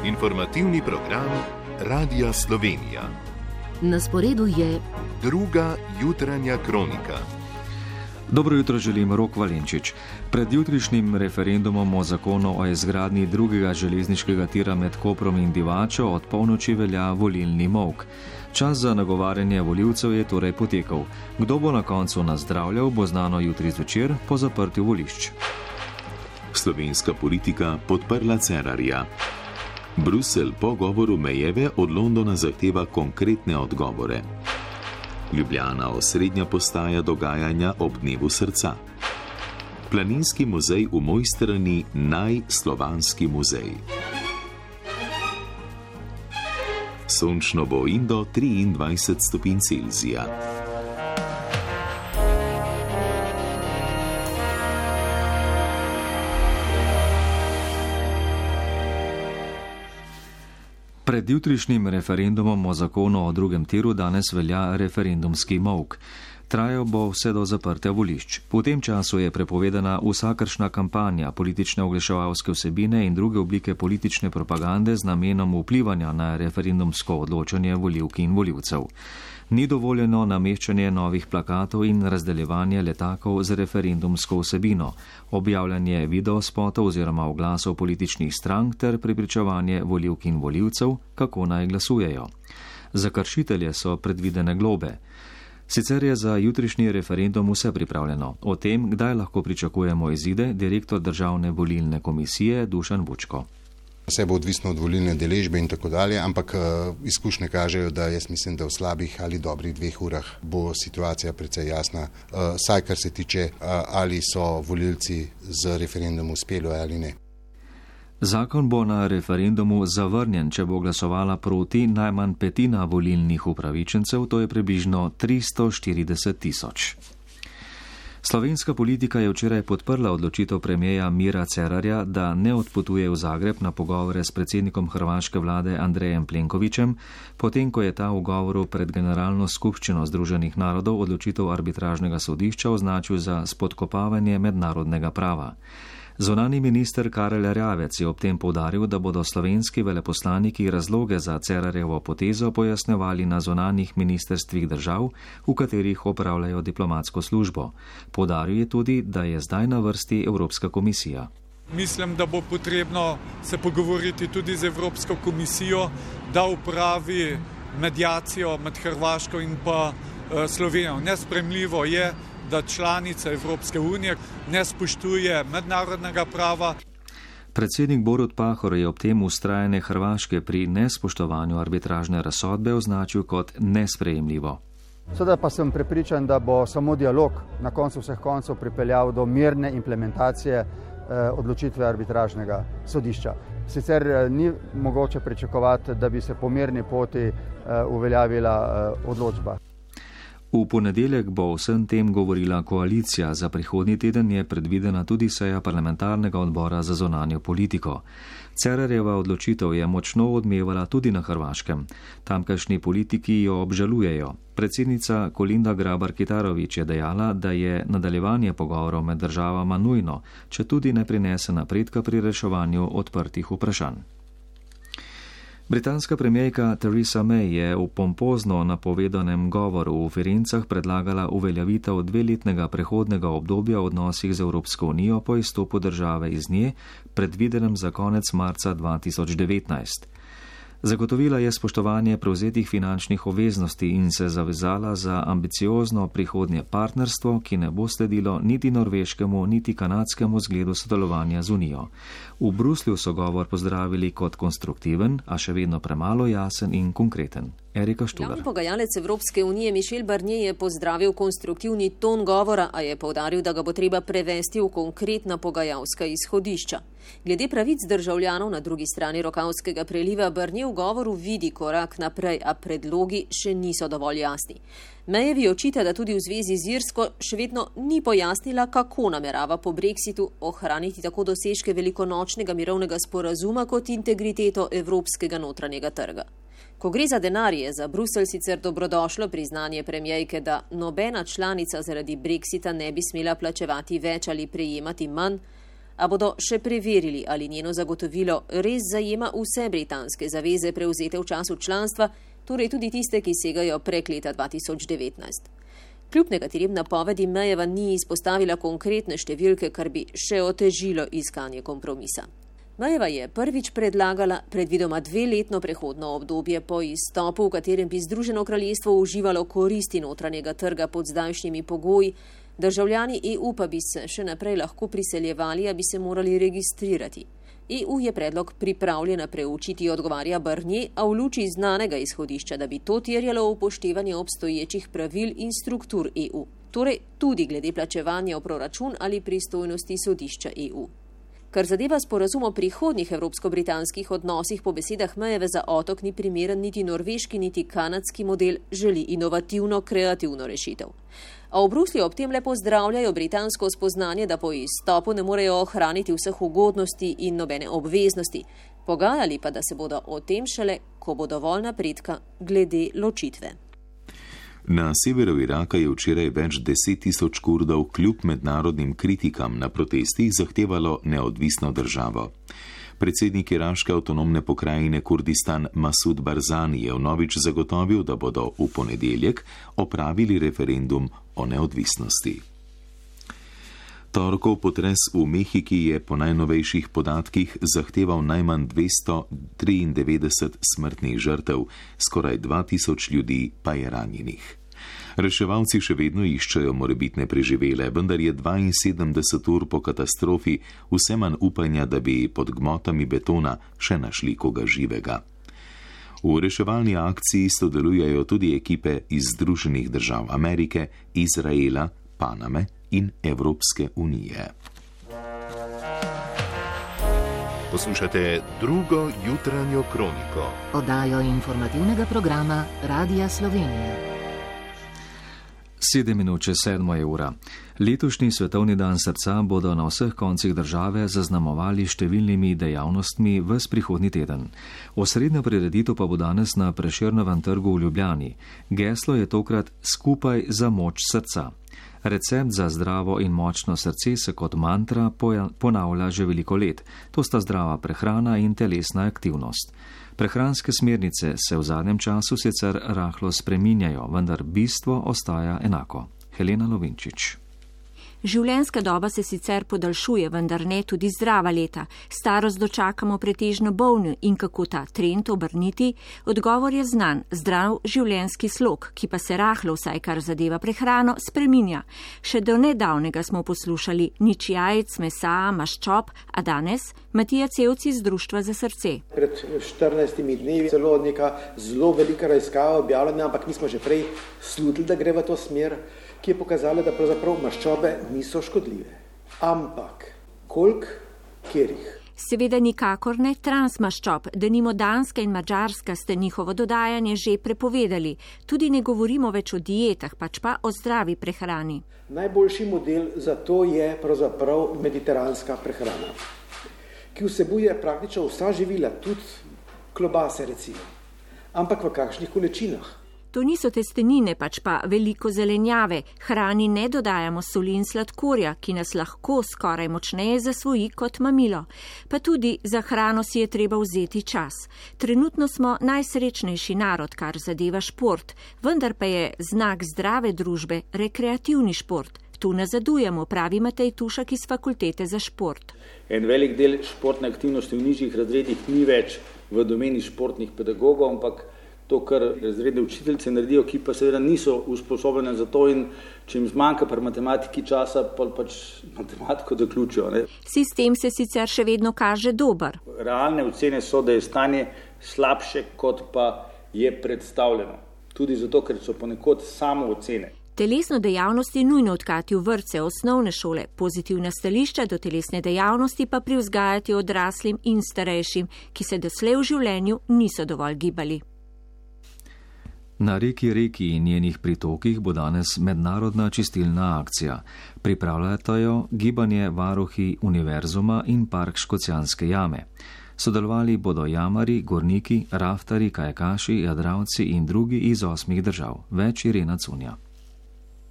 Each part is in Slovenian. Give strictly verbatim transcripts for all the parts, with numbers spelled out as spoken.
Informativni program Radia Slovenija. Na sporedu je druga jutranja kronika. Dobro jutro želim, Rok Valenčič. Pred jutrišnjim referendumom o zakonu o izgradnji drugega železniškega tira med Koprom in Divačo od polnoči velja volilni molk. Čas za nagovarjanje volivcev je torej potekal. Kdo bo na koncu nazdravljal, bo znano jutri zvečer po zaprtju volišč. Slovenska politika podprla Cerarja. Bruselj po govoru Mejeve od Londona zahteva konkretne odgovore. Ljubljana osrednja postaja dogajanja ob dnevu srca. Planinski muzej v Mojstrani najslovanski muzej. Sončno bo in do triindvajset stopinj Celzija. Pred jutrišnjim referendumom o zakonu o drugem tiru danes velja referendumski molk. Trajal bo vse do zaprtja volišč. V tem času je prepovedana vsakršna kampanja, politične oglaševalske vsebine in druge oblike politične propagande z namenom vplivanja na referendumsko odločanje volivk in volivcev. Ni dovoljeno nameščanje novih plakatov in razdeljevanje letakov z referendumsko vsebino, objavljanje videospotov oziroma oglasov političnih strank ter prepričevanje volivk in volivcev, kako naj glasujejo. Za kršitelje so predvidene globe. Sicer je za jutrišnji referendum vse pripravljeno. O tem, kdaj lahko pričakujemo izide, direktor Državne volilne komisije Dušan Vučko. Vse bo odvisno od volilne deležbe in tako dalje, ampak uh, izkušnje kažejo, da jaz mislim, da v slabih ali dobrih dveh urah bo situacija precej jasna, uh, saj kar se tiče, uh, ali so volilci z referendumom uspeli ali ne. Zakon bo na referendumu zavrnjen, če bo glasovala proti najmanj petina volilnih upravičencev, to je približno tristo štirideset tisoč. Slovenska politika je včeraj podprla odločitev premierja Mira Cerarja, da ne odpotuje v Zagreb na pogovore s predsednikom hrvaške vlade Andrejem Plenkovićem, potem ko je ta v govoru pred Generalno skupščino Združenih narodov odločitev arbitražnega sodišča označil za spodkopavanje mednarodnega prava. Zunanji minister Karel Erjavec je ob tem poudaril, da bodo slovenski veleposlaniki razloge za Cerarjevo potezo pojasnjevali na zunanjih ministerstvih držav, v katerih opravljajo diplomatsko službo. Poudaril je tudi, da je zdaj na vrsti Evropska komisija. Mislim, da bo potrebno se pogovoriti tudi z Evropsko komisijo, da upravi mediacijo med Hrvaško in pa Slovenijo. Nesprejemljivo je, da članica Evropske unije ne spoštuje mednarodnega prava. Predsednik Borut Pahor je ob tem vztrajanje Hrvaške pri nespoštovanju arbitražne razsodbe označil kot nesprejemljivo. Seveda pa sem prepričan, da bo samo dialog na koncu vseh koncev pripeljal do mirne implementacije eh, odločitve arbitražnega sodišča. Sicer eh, ni mogoče pričakovati, da bi se po mirni poti eh, uveljavila eh, odločba. V ponedeljek bo o vsem tem govorila koalicija, za prihodnji teden je predvidena tudi seja parlamentarnega odbora za zunanjo politiko. Cerarjeva odločitev je močno odmevala tudi na Hrvaškem. Tamkajšnji politiki jo obžalujejo. Predsednica Kolinda Grabar-Kitarović je dejala, da je nadaljevanje pogovorov med državama nujno, če tudi ne prinese napredka pri reševanju odprtih vprašanj. Britanska premijerka Theresa May je v pompozno napovedanem govoru v Firencah predlagala uveljavitev dveletnega prehodnega obdobja v odnosih z Evropsko unijo po izstopu države iz nje, predvidenem za konec marca dva tisoč devetnajst. Zagotovila je spoštovanje prevzetih finančnih obveznosti in se zavezala za ambiciozno prihodnje partnerstvo, ki ne bo sledilo niti norveškemu, niti kanadskemu zgledu sodelovanja z unijo. V Bruslju so govor pozdravili kot konstruktiven, a še vedno premalo jasen in konkreten. Erika Štular. Glavni pogajalec Evropske unije Michel Barnier je pozdravil konstruktivni ton govora, a je poudaril, da ga bo treba prevesti v konkretna pogajalska izhodišča. Glede pravic državljanov na drugi strani Rokavskega preliva Barnier v govoru vidi korak naprej, a predlogi še niso dovolj jasni. Mayevi očita, da tudi v zvezi z Irsko še vedno ni pojasnila, kako namerava po brexitu ohraniti tako dosežke velikonočnega mirovnega sporazuma kot integriteto evropskega notranjega trga. Ko gre za denar, je za Bruselj sicer dobrodošlo priznanje premijejke, da nobena članica zaradi brexita ne bi smela plačevati več ali prejemati manj, A bodo še preverili, ali njeno zagotovilo res zajema vse britanske zaveze prevzete v času članstva, torej tudi tiste, ki segajo prek leta dva tisoč devetnajst. Kljub nekaterim napovedim Mayeva ni izpostavila konkretne številke, kar bi še otežilo iskanje kompromisa. Mayeva je prvič predlagala predvidoma dveletno prehodno obdobje po izstopu, v katerem bi Združeno kraljestvo uživalo koristi notranjega trga pod zdajšnjimi pogoji, državljani E U pa bi se še naprej lahko priseljevali, a bi se morali registrirati. E U je predlog pripravljena preučiti, odgovarja Barnier, a v luči znanega izhodišča, da bi to terjalo upoštevanje obstoječih pravil in struktur E U, torej tudi glede plačevanja v proračun ali pristojnosti sodišča E U. Kar zadeva sporazum o prihodnjih evropsko-britanskih odnosih, po besedah Mayeve za otok ni primeren niti norveški, niti kanadski model, želi inovativno, kreativno rešitev. A v Bruslju ob tem le pozdravljajo britansko spoznanje, da po izstopu ne morejo ohraniti vseh ugodnosti in nobene obveznosti, pogajali pa, da se bodo o tem šele, ko bo dovolj napredka glede ločitve. Na severu Iraka je včeraj več deset tisoč Kurdov kljub mednarodnim kritikam na protestih zahtevalo neodvisno državo. Predsednik iraške avtonomne pokrajine Kurdistan Masud Barzani je vnovič zagotovil, da bodo v ponedeljek opravili referendum o neodvisnosti. Torkov potres v Mehiki je po najnovejših podatkih zahteval najmanj dvesto triindevetdeset smrtnih žrtev, skoraj dva tisoč ljudi pa je ranjenih. Reševalci še vedno iščejo morebitne preživele, vendar je dvainsedemdeset ur po katastrofi vse manj upanja, da bi pod gmotami betona še našli koga živega. V reševalni akciji sodelujejo tudi ekipe iz Združenih držav Amerike, Izraela, Paname in Evropske unije. Poslušate drugo jutranjo kroniko. Oddajo informativnega programa Radia Slovenija. Sedem minut čez sedmo je ura. Letošnji svetovni dan srca bodo na vseh koncih države zaznamovali številnimi dejavnostmi ves prihodnji teden. Osrednja prireditev pa bo danes na Prešernovem trgu v Ljubljani. Geslo je tokrat Skupaj za moč srca. Recept za zdravo in močno srce se kot mantra ponavlja že veliko let. To sta zdrava prehrana in telesna aktivnost. Prehranske smernice se v zadnjem času sicer rahlo spreminjajo, vendar bistvo ostaja enako. Helena Lovinčič. Življenjska doba se sicer podaljšuje, vendar ne tudi zdrava leta. Starost dočakamo pretežno bolni in kako ta trend obrniti? Odgovor je znan, zdrav življenjski slog, ki pa se rahlo, vsaj kar zadeva prehrano, spreminja. Še do nedavnega smo poslušali nič jajc, mesa, maščob, a danes Matija Cevci iz Društva za srce. Pred štirinajstimi dnevi celo neka zelo velika raziskava objavljena, ampak mi smo že prej slutili, da gre v to smer, ki je pokazala, da pravzaprav maščobe niso škodljive. Ampak koliko, kjerih? Seveda nikakor ne transmaščob, denimo Danska in Madžarska ste njihovo dodajanje že prepovedali. Tudi ne govorimo več o dietah, pač pa o zdravi prehrani. Najboljši model za to je pravzaprav mediteranska prehrana, ki vsebuje praktično vsa živila, tudi klobase recimo, ampak v kakšnih količinah. To niso testenine, pač pa veliko zelenjave. Hrani ne dodajamo soli in sladkorja, ki nas lahko skoraj močneje zasvoji kot mamilo. Pa tudi za hrano si je treba vzeti čas. Trenutno smo najsrečnejši narod, kar zadeva šport, vendar pa je znak zdrave družbe rekreativni šport. Tu nazadujemo, pravi Matej Tušak iz Fakultete za šport. En velik del športne aktivnosti v nižjih razredih ni več v domeni športnih pedagogov, ampak to, kar razredne učiteljice naredijo, ki pa seveda niso usposobljene za to in če jim zmanjka pri matematiki časa, pa pač matematiko zaključijo. Ne? Sistem se sicer še vedno kaže dober. Realne ocene so, da je stanje slabše, kot pa je predstavljeno. Tudi zato, ker so ponekod samo ocene. Telesno dejavnost je nujno odkati v vrtce, osnovne šole, pozitivna stališča do telesne dejavnosti pa privzgajati odraslim in starejšim, ki se doslej v življenju niso dovolj gibali. Na reki Reki in njenih pritokih bo danes mednarodna čistilna akcija. Pripravljata jo gibanje Varuhi univerzuma in Park Škocjanske jame. Sodelovali bodo jamari, gorniki, raftari, kajakaši, jadravci in drugi iz osmih držav. Več Irena Cunja.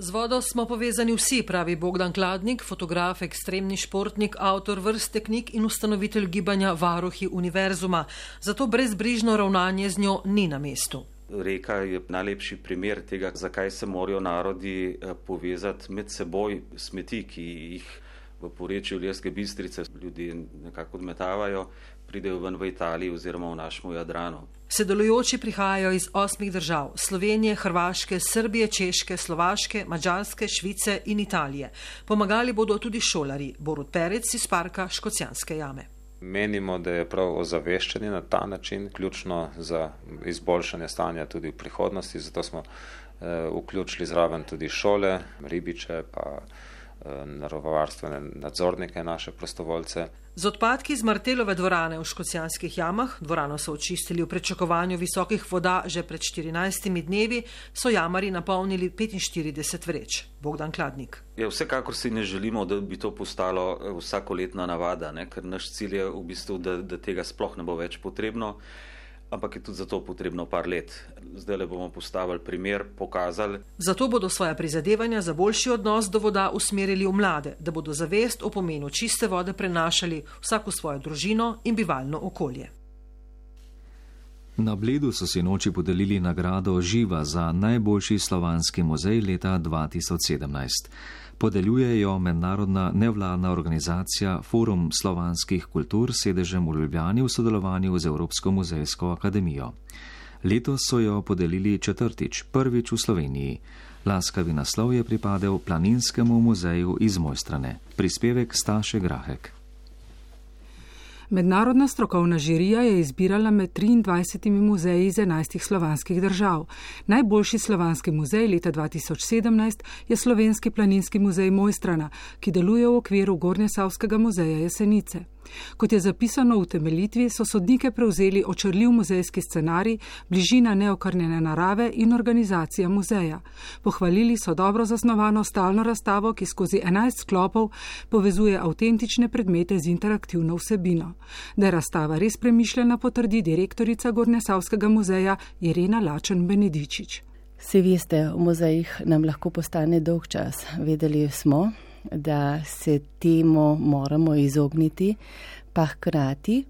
Z vodo smo povezani vsi, pravi Bogdan Kladnik, fotograf, ekstremni športnik, avtor vrste knjig in ustanovitelj gibanja Varuhi univerzuma. Zato brezbrižno ravnanje z njo ni na mestu. Reka je najlepši primer tega, zakaj se morajo narodi povezati med seboj. Smeti, ki jih v porečju Ilirske Bistrice ljudje nekako odmetavajo, pridejo ven v Italiji oziroma v našem Jadranu. Sodelujoči prihajajo iz osmih držav: Slovenije, Hrvaške, Srbije, Češke, Slovaške, Madžarske, Švice in Italije. Pomagali bodo tudi šolarji. Borut Perec iz parka Škocjanske jame. Menimo, da je prav ozaveščanje na ta način ključno za izboljšanje stanja tudi v prihodnosti, zato smo eh, vključili zraven tudi šole, ribiče, pa eh, naravovarstvene nadzornike, naše prostovoljce. Z odpadki iz Martelove dvorane v Škocjanskih jamah, dvorano so očistili v pričakovanju visokih voda že pred štirinajstimi dnevi, so jamari napolnili petinštirideset vreč. Bogdan Kladnik. Ja, vsekakor si ne želimo, da bi to postalo vsakoletna navada, ne? Ker naš cilj je v bistvu, da, da tega sploh ne bo več potrebno, ampak je tudi za to potrebno par let. Zdaj le bomo postavili primer, pokazali. Zato bodo svoja prizadevanja za boljši odnos do voda usmerili v mlade, da bodo zavest o pomenu čiste vode prenašali vsak v svojo družino in bivalno okolje. Na Bledu so si noči podelili nagrado Živa za najboljši slovanski muzej leta dva tisoč sedemnajst. Podeljuje jo mednarodna nevladna organizacija Forum slovanskih kultur s sedežem v Ljubljani v sodelovanju z Evropsko muzejsko akademijo. Letos so jo podelili četrtič, prvič v Sloveniji. Laskavi naslov je pripadel Planinskemu muzeju iz Mojstrane. Prispevek Staše Grahek. Mednarodna strokovna žirija je izbirala med triindvajsetimi muzeji iz enajstih slovanskih držav. Najboljši slovanski muzej leta dva tisoč sedemnajst je Slovenski planinski muzej Mojstrana, ki deluje v okviru Gornjesavskega muzeja Jesenice. Kot je zapisano v utemeljitvi, so sodnike prevzeli očarljiv muzejski scenarij, bližina neokrnjene narave in organizacija muzeja. Pohvalili so dobro zasnovano stalno razstavo, ki skozi enajst sklopov povezuje avtentične predmete z interaktivno vsebino. Da je razstava res premišljena, potrdi direktorica Gornjesavskega muzeja Irena Lačen Benedičič. Vsi veste, v muzejih nam lahko postane dolg čas. Vedeli smo, da se temu moramo izogniti, pa hkrati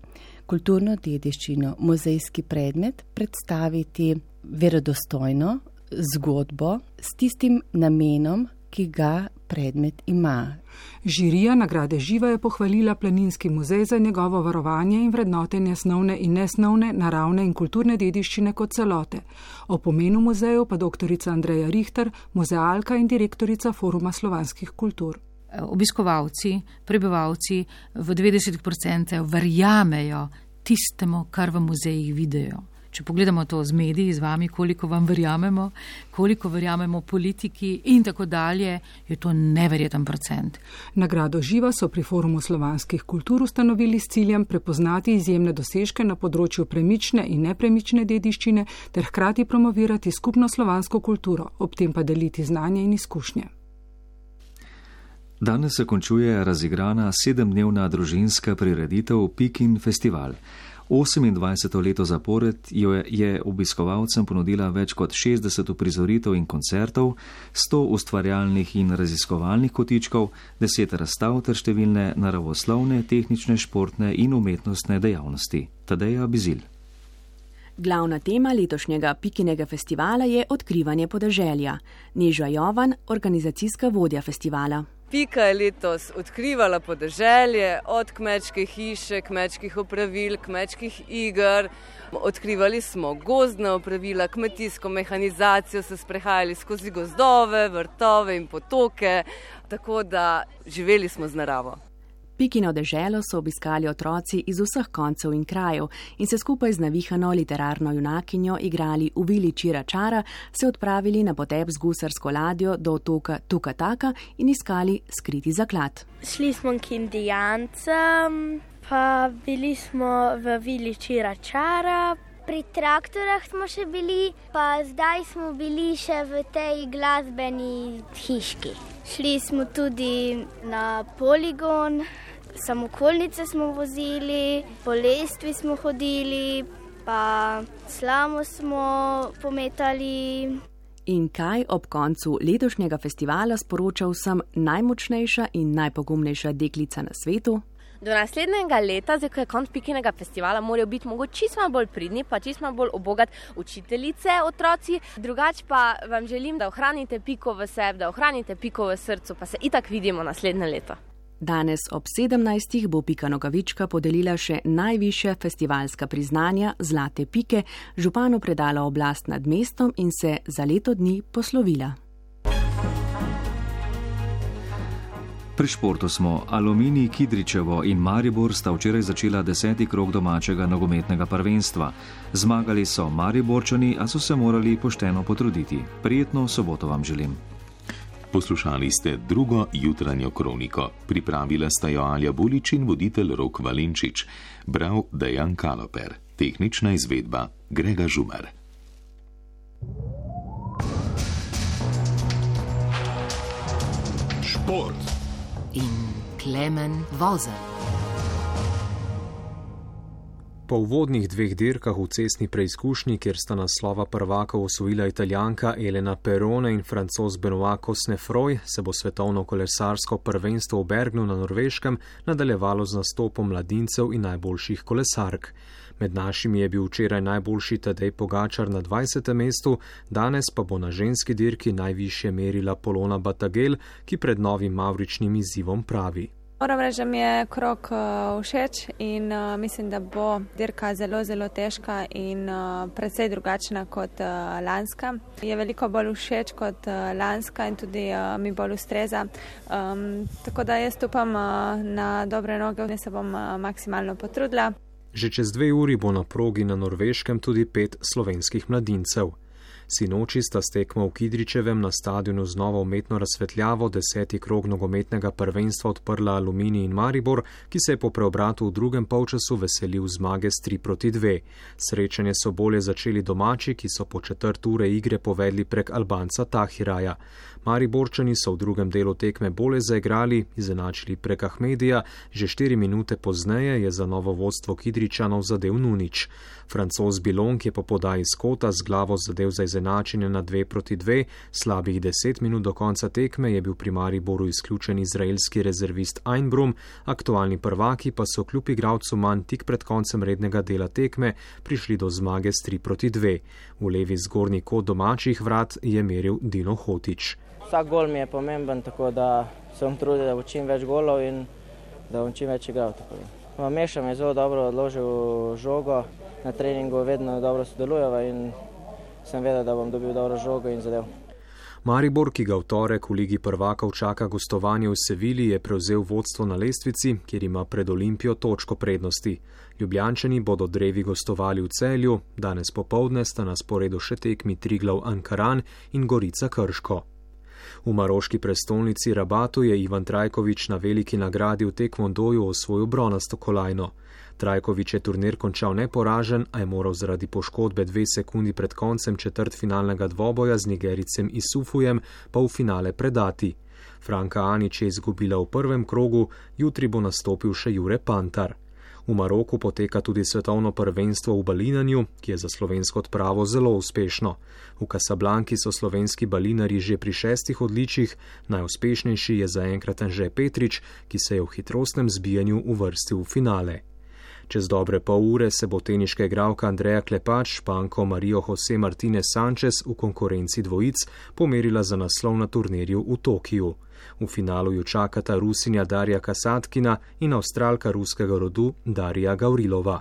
kulturno dediščino, muzejski predmet predstaviti verodostojno zgodbo s tistim namenom, ki ga predmet ima. Žirija nagrade Živa je pohvalila Planinski muzej za njegovo varovanje in vrednotenje snovne in nesnovne, naravne in kulturne dediščine kot celote. O pomenu muzeju pa doktorica Andreja Richter, muzealka in direktorica Foruma slovanskih kultur. Obiskovalci, prebivalci v devetdeset odstotkov verjamejo tistemu, kar v muzejih vidijo. Če pogledamo to z mediji, z vami, koliko vam verjamemo, koliko verjamemo politiki in tako dalje, je to neverjeten procent. Nagrado Živa so pri Forumu slovanskih kultur ustanovili s ciljem prepoznati izjemne dosežke na področju premične in nepremične dediščine ter hkrati promovirati skupno slovansko kulturo, ob tem pa deliti znanje in izkušnje. Danes se končuje razigrana sedemdnevna družinska prireditev Pikin festival. osemindvajseto leto zapored jo je obiskovalcem ponudila več kot šestdeset uprizoritev in koncertov, sto ustvarjalnih in raziskovalnih kotičkov, deset razstav ter številne naravoslovne, tehnične, športne in umetnostne dejavnosti. Tadeja Bizil. Glavna tema letošnjega Pikinega festivala je odkrivanje podeželja. Neža Jovan, organizacijska vodja festivala. Pika je letos odkrivala podeželje, od kmečke hiše, kmečkih opravil, kmečkih iger. Odkrivali smo gozdna opravila, kmetijsko mehanizacijo, se sprehajali skozi gozdove, vrtove in potoke, tako da živeli smo z naravo. Pikino deželo so obiskali otroci iz vseh koncev in krajev in se skupaj z navihano literarno junakinjo igrali v vili Čira Čara, se odpravili na potep z gusarsko ladjo do otoka Tukataka in iskali skriti zaklad. Šli smo k Indijancem, pa bili smo v vili Čira Čara. Pri traktorah smo še bili, pa zdaj smo bili še v tej glasbeni hiški. Šli smo tudi na poligon, samokolnice smo vozili, po lestvi smo hodili, pa slamo smo pometali. In kaj ob koncu letošnjega festivala sporoča vsem najmočnejša in najpogumnejša deklica na svetu? Do naslednjega leta, zdaj ko je konc Pikinega festivala, morajo biti mogoče čisto malo bolj pridni, pa čisto malo bolj obogat učiteljice, otroci. Drugače pa vam želim, da ohranite piko v sebi, da ohranite piko v srcu, pa se itak vidimo naslednje leto. Danes ob sedemnajstih bo Pika Nogavička podelila še najvišja festivalska priznanja Zlate pike, županu predala oblast nad mestom in se za leto dni poslovila. Pri športu smo. Aluminij, Kidričevo in Maribor sta včeraj začela deseti krog domačega nogometnega prvenstva. Zmagali so Mariborčani, a so se morali pošteno potruditi. Prijetno soboto vam želim. Poslušali ste drugo jutranjo kroniko. Pripravila sta jo Alja Bulič in voditelj Rok Valenčič. Bral Dejan Kaloper. Tehnična izvedba Grega Žumar. Šport in Klemen Vozelj. Po uvodnih dveh dirkah v cestni preizkušnji, kjer sta naslova prvakov osvojila Italijanka Elena Perone in Francoz Benoit Cosnefroy, se bo svetovno kolesarsko prvenstvo v Bergnu na Norveškem nadaljevalo z nastopom mladincev in najboljših kolesark. Med našimi je bil včeraj najboljši Tadej Pogačar na dvajsetem mestu, danes pa bo na ženski dirki najvišje merila Polona Batagel, ki pred novim mavričnim izzivom pravi. Moram reči, da mi je krog uh, všeč in uh, mislim, da bo dirka zelo, zelo težka in uh, precej drugačna kot uh, lanska. Je veliko bolj všeč kot uh, lanska in tudi uh, mi bolj ustreza. Um, tako da jaz upam uh, na dobre noge in se bom uh, maksimalno potrudila. Že čez dve uri bo na progi na Norveškem tudi pet slovenskih mladincev. Sinoči sta s tekmo v Kidričevem na stadionu z novo umetno razsvetljavo deseti krog nogometnega prvenstva odprla Aluminij in Maribor, ki se je po preobratu v drugem polčasu veselil zmage s tri proti dve. Srečanje so bolje začeli domači, ki so po četrt ure igre povedli prek Albanca Tahiraja. Mariborčani so v drugem delu tekme bolje zaigrali, izenačili prek Ahmedija, že štiri minute pozneje je za novo vodstvo Kidričanov zadel Nunič. Francoz Bilong je po podaji z kota z glavo zadev za izenačenje na dve proti dve, slabih deset minut do konca tekme je bil pri Mariboru izključen izraelski rezervist Einbrum, aktualni prvaki pa so kljub igralcu manj tik pred koncem rednega dela tekme prišli do zmage s tri proti dve. V levi zgornji kot domačih vrat je meril Dino Hotić. Vsak gol mi je pomemben, tako da se bom trudil, da bo čim več golov in da bom čim več igral. Mešam je zelo dobro odložil žogo, na treningu vedno dobro sodelujeva in sem vedel, da bom dobil dobro žogo in zadev. Maribor, ki ga v torek v Ligi prvakov čaka gostovanje v Sevilji, je prevzel vodstvo na lestvici, kjer ima pred Olimpijo točko prednosti. Ljubljančani bodo drevi gostovali v Celju, danes popoldne sta na sporedu še tekmi Triglav Ankaran in Gorica Krško. V maroški prestolnici Rabatu je Ivan Trajković na veliki nagradi v tekvondoju osvojil bronasto kolajno. Trajković je turnir končal neporažen, a je moral zaradi poškodbe dve sekundi pred koncem četrtfinalnega dvoboja z Nigericem Isufujem pa v finale predati. Franka Anić je izgubila v prvem krogu, jutri bo nastopil še Jure Pantar. V Maroku poteka tudi svetovno prvenstvo v balinanju, ki je za slovensko odpravo zelo uspešno. V Casablanki so slovenski balinari že pri šestih odličjih, najuspešnejši je zaenkrat Anže Petrič, ki se je v hitrostnem zbijanju uvrstil v finale. Čez dobre pol ure se bo teniška igralka Andreja Klepač s Španko Marijo Jose Martinez Sanchez v konkurenci dvojic pomerila za naslov na turnirju v Tokiju. V finalu ju čakata Rusinja Darja Kasatkina in Avstralka ruskega rodu Darija Gavrilova.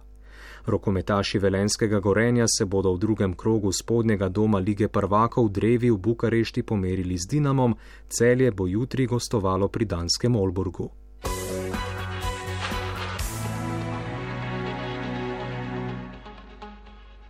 Rokometaši Velenskega Gorenja se bodo v drugem krogu spodnjega doma Lige prvakov drevi v Bukarešti pomerili z Dinamom, Celje bo jutri gostovalo pri danskem Olburgu.